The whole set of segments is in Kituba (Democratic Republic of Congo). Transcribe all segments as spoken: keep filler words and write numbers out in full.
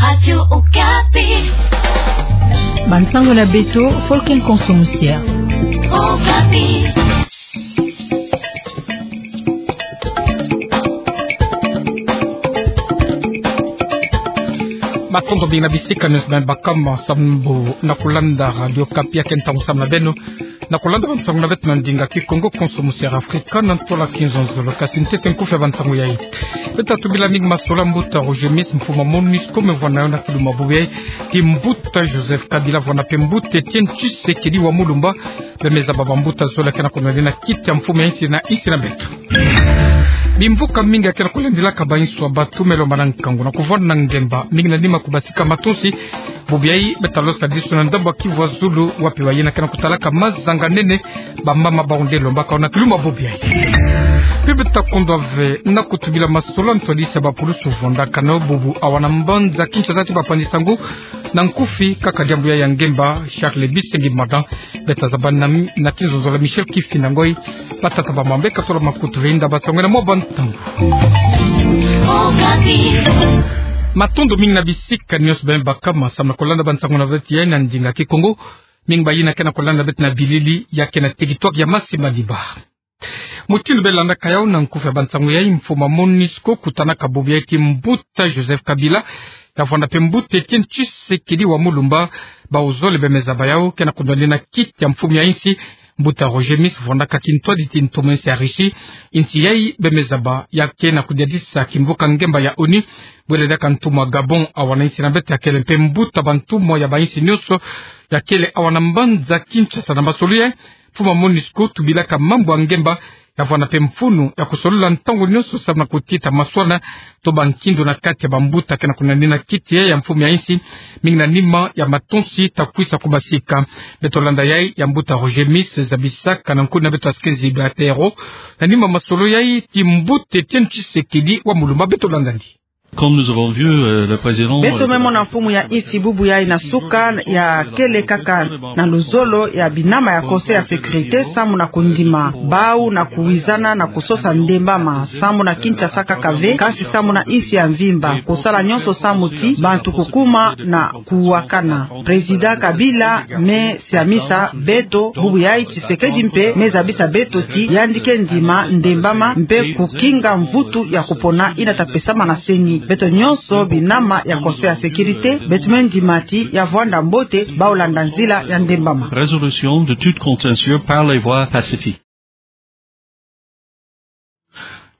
Radio Okapi. Bansango na beto, Folken Konso Musiya. Okapi. Matondo mingi na bisika nyonso beno baka ma sambu na kulanda Radio Okapi ya ke ntangu sam na beno. Na kulanda bansango na beto na ndinga Kikongo, Konso Musiya Afrika, na ntola kizonzolo. Kasi ntete nkufi ya bansango yai. Beto tatubi la mingi masolo mbuta Roger Miss, mfumu MONUSCO, me vwanda na kiluma bubu yai ti mbuta Joseph Kabila, vwanda mpe mbuta Etienne Tshisekedi wa Mulumba, bemeza baba mbuta zole ke na kunwani na kiti ya mfumu ya insi na insi na beto. Bimvuka mingi ya ke na kulandilaka bainso ya bantu me lomba na nkangu na kuvwanda na ngemba, mingi na nima kubasika matonsi. Bubu yai beto talosa disu na ndambu ya Kivu ya Zulu, wapi bayina ke na kutalaka mazanga nene, bamama bawu nde lombaka na kiluma bubu yai. Mpe beto takondwa ve na kutubi la masolo ntwadisi ya bapulusu vwandakana bubu awa na mbanza Kinshasa ti bapanzi sango. Na nkufi kaka diambu yai ya ngemba, Charles Bisengi Madan. Beto tazaba na, na kizonzolo Michel Kifinda Ngoyi, batata ba mambu ke solo makutu ve inda basango na mwa bantangu. Matondo mingi na bisika nyonso beno baka ma sambu na kulanda bansango na beto yai na ndinga Kikongo. Mingi bayina ke na kulanda beto na bilili ya ke na territoire ya Masi Manimba. Mutindu beno landaka yawu na nkufi ya bansango yai, mfumu MONUSCO kutanaka bubu yai ti mbuta Joseph Kabila, ya vwanda mpe mbuta Etienne Tshisekedi wa Mulumba, bawu zole bemeza bawu ke na kunwani na kiti ya mfumu ya insi. Mbuta Roger Miss vwandaka kintwadi ti ntomo insi ya Russie. Insi yai bemeza bawu ya ke na kudiadisa kimvuka ngemba ya ONU. Bwele diaka ntumwa Gabon awa na insi na beto, ya kele mpe mbuta bantumwa ya bainsi nyonso, ya kele awa na mbanza Kinshasa. Na masolo yai, mfumu MONUSCO tubilaka mambu ya ngemba, ya vwanda mpe mfunu ya kusolola ntangu nyonso sambu na kutita maswana to bankindu na kati ya bambuta ke na kunwani na kiti ya mfumu ya insi, mingi na nima ya matonsi takwisa kubasika. Beto landa yai ya mbuta Roger Miss zabisaka na nkufi na beto ya Sikenzi Batero, na nima masolo yai ti mbuta Etienne Tshisekedi wa Mulumba. Beto landa ndi. Comme nous avons vu, euh, le président, beto me mona mfumu ya insi bubu yai na suka ya kele kaka na luzolo ya binama ya Conseil ya sécurité, sambu na kundima bawu na kuwizana na kusosa ndembama, sambu na Kinshasa kaka ve, kasi sambu na insi ya mvimba, kusala nyonso sambu ti bantu kukuma na kuwakana. Président Kabila me siamisa beto bubu yai, Tshisekedi mpe me zabisa beto ti yandi ke ndima ndembama mpe kukinga mvutu ya kupona yina tapesama na CENI. Beto nyonso binama ya Conseil ya sécurité, beto me ndima ti ya vwanda mbote bawu landa nzila ya ndembama. Résolution de tout contentieux par les voies pacifiques.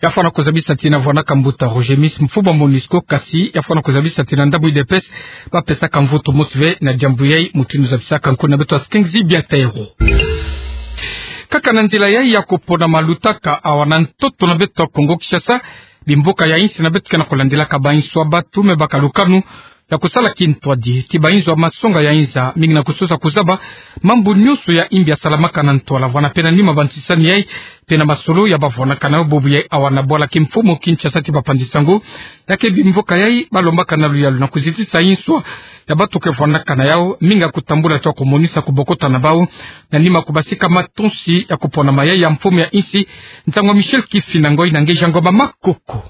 Ya fwana kuzabisa ti na vwandaka mbuta Roger Miss, mfumu MONUSCO, kasi ya fwana kuzabisa ti na ndambu U D P S bapesaka mvutu mosi ve na diambu yai. Mutindu zabisaka nkufi na beto ya Sikenzi Batero. Kaka na nzila yai ya kupona ma lutaka awa na ntoto na beto ya Kongo Kinshasa, bimvuka ya insi na beto ke na kulandilaka bainso ya bantu me baka lukanu ya kusala kintwadi ti bainzo ya masonga ya inza, mingi na kusosa kuzaba mambu nyonso ya imbi yasalamaka na ntwala. Vwanda mpe na nima bansisani yai mpe na masolo ya bavwandakana bubu yai awa na bwala kimfumu Kinshasa ti bapanzi sango, ya ke bimvuka yai balombaka na luyalu na kuzitisa inswa ya bantu ke vwandakana yawu, mingi ya kutambula ti kumonisa kubokota na bawu, na nima kubasika matonsi ya kupona mayai ya mfumu ya insi. Nsangu ya Michel Kifinda Ngoyi na nge Jean Ngoma Makoko.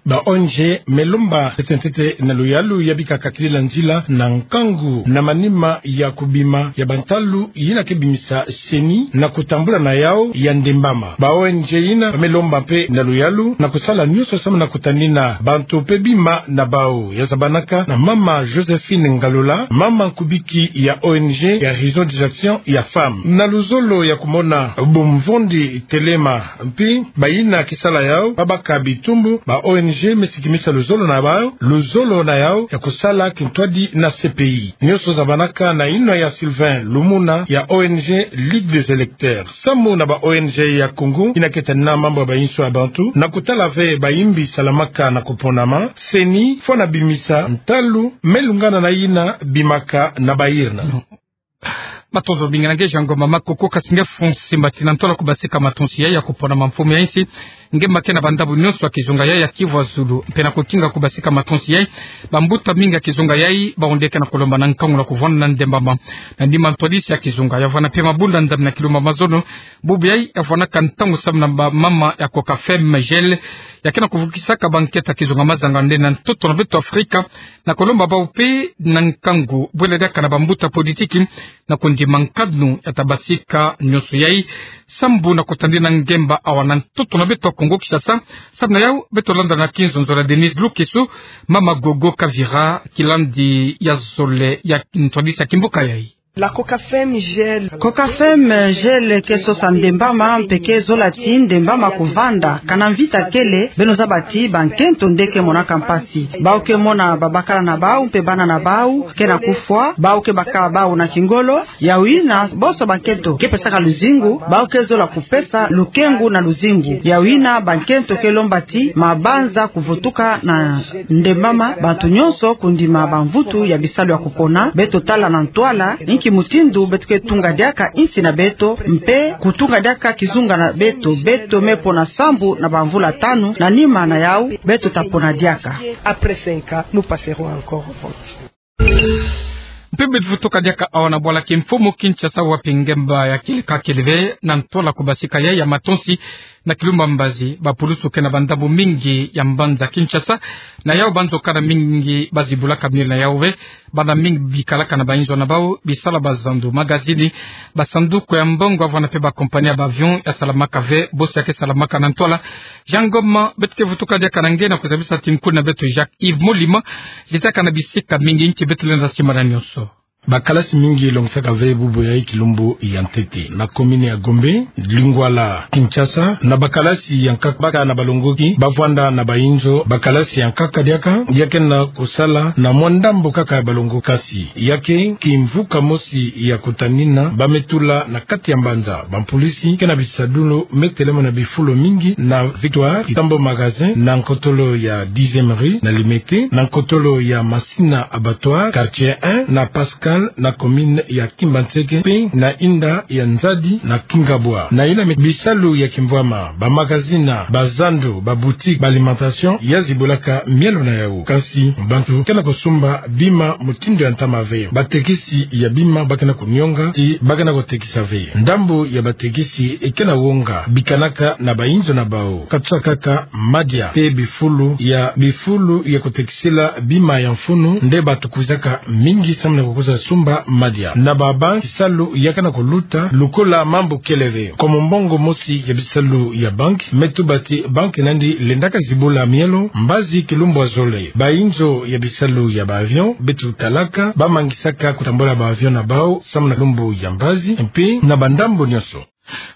Ba O N G me lomba ntete ntete na luyalu ya bika kakilila nzila na nkangu na manima ya kubima ya bantalu yina ke bimisa CENI na kutambula na yawu ya ndembama. Ba O N G yina me lomba mpe na luyalu na kusala nyonso samu na kutanina bantu mpe bima na bawu. Ya zabanaka na mama Joséphine Ngalula, mama nkubiki ya O N G ya Horizon des Actions ya Femmes. Na luzolo ya kumona bumvondi telema mpi bayina ke sala yawu, babaka bitumbu, ba O N G me sikimisa luzolo na bawu, luzolo na yawu ya kusala kintwadi na C P I. Nyonso zabanaka na yinwa ya Sylvain Lumuna ya O N G Ligue des Électeurs. Samu na ba O N G ya Congo yina ke tanina mambu ya bainso ya bantu, na kutala ve bayimbi salamaka na kuponama, CENI fwana bimisa ntalu me lungana na yina bimaka na bayirina. Matondo mingi na nge Jean Ngoma Makoko. Kasi nge Francis Mbatina, ntola kubasika matonsi yai ya kupona mamfumu ya insi, nge ma kena bandambu nyonso ya kizunga yai ya Kivu ya Zulu, mpe na kukinga kubasika matonsi yai, bambuta mingi ya kizunga yai bawu nde ke na kulomba na nkangu na kuvwanda na ndembama. Na nima ntwadisi ya kizunga yai, ya vwanda mpe mabunda ndambu na kilumbu ya mazono, bubu yai ya vwandaka ntangu samu na bamama ya Coca-Femme Gel, ya ke na kuvukisaka bankento ya kizunga mazanga nde na ntoto na beto Afrika, na kulomba bawu mpe na nkangu, bwela diaka na bambuta politiki, na kundima nkanu ya ta basika nyonso yai, sambu na kutadina ngemba awa na ntoto na beto Kongo Kinshasa. Samu na yawu, beto landa na kinzonzolo ya Denise Lukeso, mama Gogo Kavira, kilandi ya zole ya ntwadisi ya kimbuka yai. La Coca-Femme Gel. Coca-Femme Gel ke sosa ndembama, mpe ke zola ti ndembama kuvanda. Kana mvita kele, beno zaba ti bankento nde ke monaka mpasi. Bawu ke mona babakala na bawu, mpe bana na bawu ke na kufwa, bawu ke baka bawu na kingolo. Yawu yina, bonso bankento ke pesaka luzingu, bawu ke zola kupesa lukengu na luzingu. Yawu yina, bankento ke lomba ti mabanza kuvutuka na ndembama, bantu nyonso kundima bamvutu ya bisalu ya kupona. Beto tala na ntwala inki mutindu beto ke tunga diaka insi na beto, mpe kutunga diaka kizunga na beto. Beto me pona sambu na bamvula tanu, na nima na yawu, beto ta pona diaka. Après cinq ans, nous passerons encore au vote. Mpe beto vutuka diaka awa na bwala kimfumu Kinshasa, wapi ngemba ya kile ka kele ve, na ntola kubasika yai ya matonsi na kilumbu ya mbazi. Bapulusu ke na bandambu mingi ya mbanza Kinshasa, na yawu banzo-kanda mingi bazibulaka mielo na yawu ve. Bana mingi bikalaka na bainzo na bawu, bisala bazandu, magazini, basanduku ya mbongo, ya vwanda mpe bakompani ya baavion ya salamaka ve, bosi ya ke salamaka na ntwala. Jean Ngoma, beto ke vutuka diaka na nge na kuzabisa ti nkuna beto Jacques Yves Molima, zitaka na bisika mingi, nki beto lenda simbana nyonso. Bakalasi mingi longisaka ve bubu yai kilumbu ya ntete. Na commune ya Gombe, Lingwala, Kinshasa, na bakalasi ya nkaka baka na balongoki, bavwanda na bainzo, bakalasi ya nkaka diaka, ya ke na kusala na mwa ndambu kaka ya balongoki. Kasi ya ke kimvuka mosi ya kutanina, ba me tula na kati ya mbanza. Bampulisi ke na bisadulu me telama na bifulu mingi, na Victoire, Kitambo Magasin, na nkotolo ya dixième rue, na Limete, na nkotolo ya Masina Abattoir, quartier un, na Pascal, na commune ya Kimbanseke, mpe na inda ya Nzadi, na Kingabwa. Na ina me bisalu ya kimvwama, bamagazini, bazandu, baboutique, baalimentation, ya zibulaka mielo na yawu. Kasi bantu ke na kusumba bima mutindu ya ntama ve. Batekisi ya bima ba ke na kunionga ti ba ke na kutekisa ve. Ndambu ya batekisi e ke na wonga, bikanaka na bainzo na bawu. Katusa kaka madia, mpe bifulu ya, bifulu ya kutekisila bima ya mfunu, nde batu kwizaka mingi samu na kukwiza sumba madia. Na babanki, bisalu ya ke na kuluta lokola mambu kele ve. Kwa mbongo mosi ya bisalu ya banki, me tuba ti banki nandi lendaka zibula mielo mbazi kilumbu ya zole. Bainzo ya bisalu ya baavion, beto talaka, bamangisaka kutambula baavion na bawu samu na kilumbu ya mbazi, mpe na bandambu nyonso.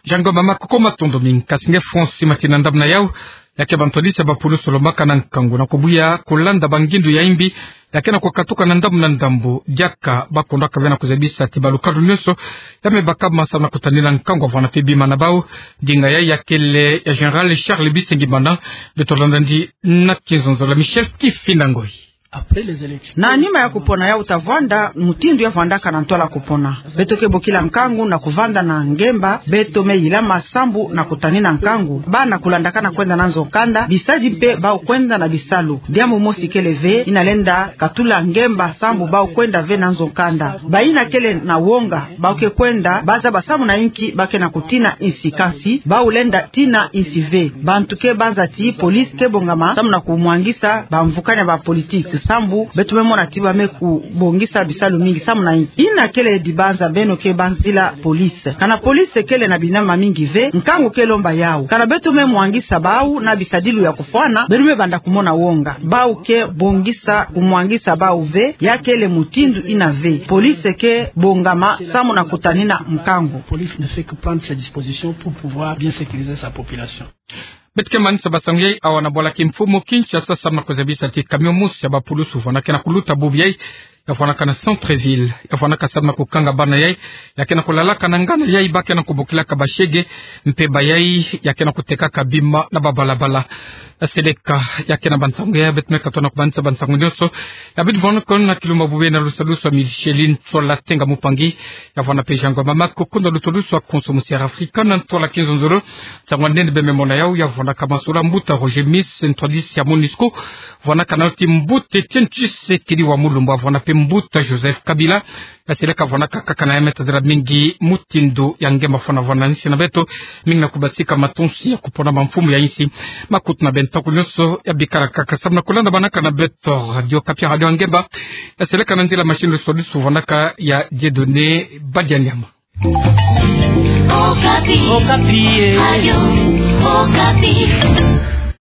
Jean Ngoma Makoko, matondo mingi. Kasi nge Francis Mbatina, ndambu na yawu, ya ke bantwadisi ya bapulusu lombaka na nkangu na kubuya kulanda bangindu ya imbi ya ke na kukatuka na ndambu na ndambu. Diaka bakondaka ve na kuzabisa ti balukadu nyonso ya me baka ma samu na kutanina nkangu ya vwanda mpe bima na bawu. Ndinga yai ya kele ya Général Charles Bisengimana. Beto landa ndi na kinzonzolo ya Michel Kifinda Ngoyi. Na nima ya kupona yawu ta vwanda mutindu ya vwandaka na ntwala kupona. Beto ke bokila nkangu na kuvanda na ngemba, beto me yilama sambu na kutanina nkangu. Bana kulandakana kwenda na nzo-nkanda, bisadi mpe bawu kwenda na bisalu. Diambu mosi kele ve, ina lenda katula ngemba sambu bawu kwenda ve na nzo-nkanda. Bayina kele na wonga, bawu ke kwenda, ba zaba samu na inki ba ke na kutina insi, kasi bawu lenda tina insi ve. Bantu ke banza ti police ke bongama samu na kumwangisa bamvukani ya bapolitique, sambu beto me mona ti ba me kubongisa bisalu mingi samu na inki. Ina kele dibanza beno ke banzila police. Kana police kele na binama mingi ve, nkangu ke lomba yawu. Kana beto me mwangisa bawu na bisadilu ya kufwana, beno me banda kumona wonga. Bawu ke bongisa kumwangisa bawu ve, ya kele mutindu ina ve. Police ke bongama samu na kutanina nkangu. Police ne fait que prendre ses dispositions pour pouvoir bien sécuriser sa population. Beto ke manisa basangu yai awa na bwala kimfumu Kinshasa samu na kuzabisa ti camion mosi ya bapulusu vwanda ke na kuluta bubu yai ya vwanaka na centre-ville, ya vwanaka salu na kukanga bana yai, ya kena kulalaka na ngana yai ba kena kubokilaka bashege, mpe bayai, ya kena kutekaka bima na babalabala. Seleka, ya kena bansangu ya beto me katona kubansa bansangu nyonso, ya bidi vwanakon na kilumbu bubena lusalusu a Micheline Tsola Tenga Mupangi, ya vwana pe Jean Ngoma Maku, kunda lusalusu a Konso Musiara Afrika, na ntola kinzonzolo, nsangu a nene be me mona yau, ya vwanaka Masula Mbuta Roger Miss, ntwadisi ya MONUSCO, vwanaka na ti Mbuta Etienne Tshisekedi wa Mulumba, vwana pe Mbuta Joseph Kabila, ya seleka vwanaka kaka na ya me tazila mingi mutindu ya nge mafana vwana nsi na beto, mingi na kubasika matonsi ya kupona mamfumu ya nsi, makutu na bento ko nyonso, ya bikala kaka salu na kulanda banaka na beto, Radio Okapi, radio ya nge mba, ya seleka na nzila machine lusalusu vwanaka ya Dieudonné Badianyama. Okapi. Okapi, eh. Radio Okapi.